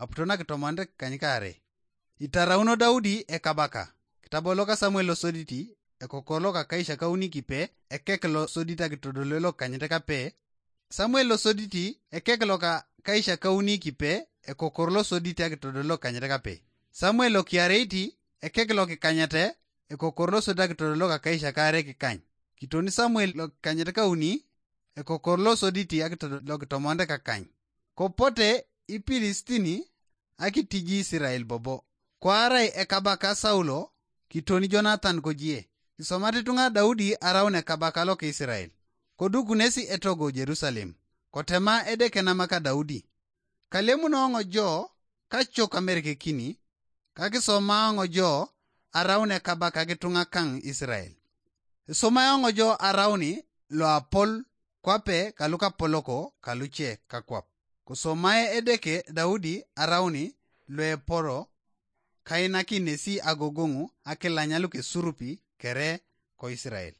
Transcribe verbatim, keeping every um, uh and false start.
aputo nakitomonit kikany kaarei. Itarauno Daudi ekabaka. Kitabo loka Samuel losoditi, ekokor loka kaishakauni kipe, ekek losodit akitodole lokanyit kape. Samuel losoditi, ekek loka kaishakauni kipe, ekokor losodit akitodole lokanyit kape. Samuel lokiareiti, ekek lokikanyete, ekokor losodit akitodole loka kaishakare kikany. Kitoni Samuel lokikanyet kauni, ekokor losodit akitodole lokitomonit kakany. Kopote Ipilistini akitiji Israel bobo. Koarai ekabaka Saulo, kitoni Jonathan kojie. Isomat itunga Daudi araun ekabaka loka Israel. Kodukunesi etogo Jerusalem. Kotema Edeke namaka Daudi. Kalemuno ngojo, kacho kamerekekini, kakisoma ngojo araun ekabaka kitunga kang Israel. Isomae ngojo arauni loapol kwape kalukapoloko kaluche kakwap. Kosomae Edeke Daudi arauni loeporo kainakinesi agogoŋu akilanya lukesurupi kere ko Israel.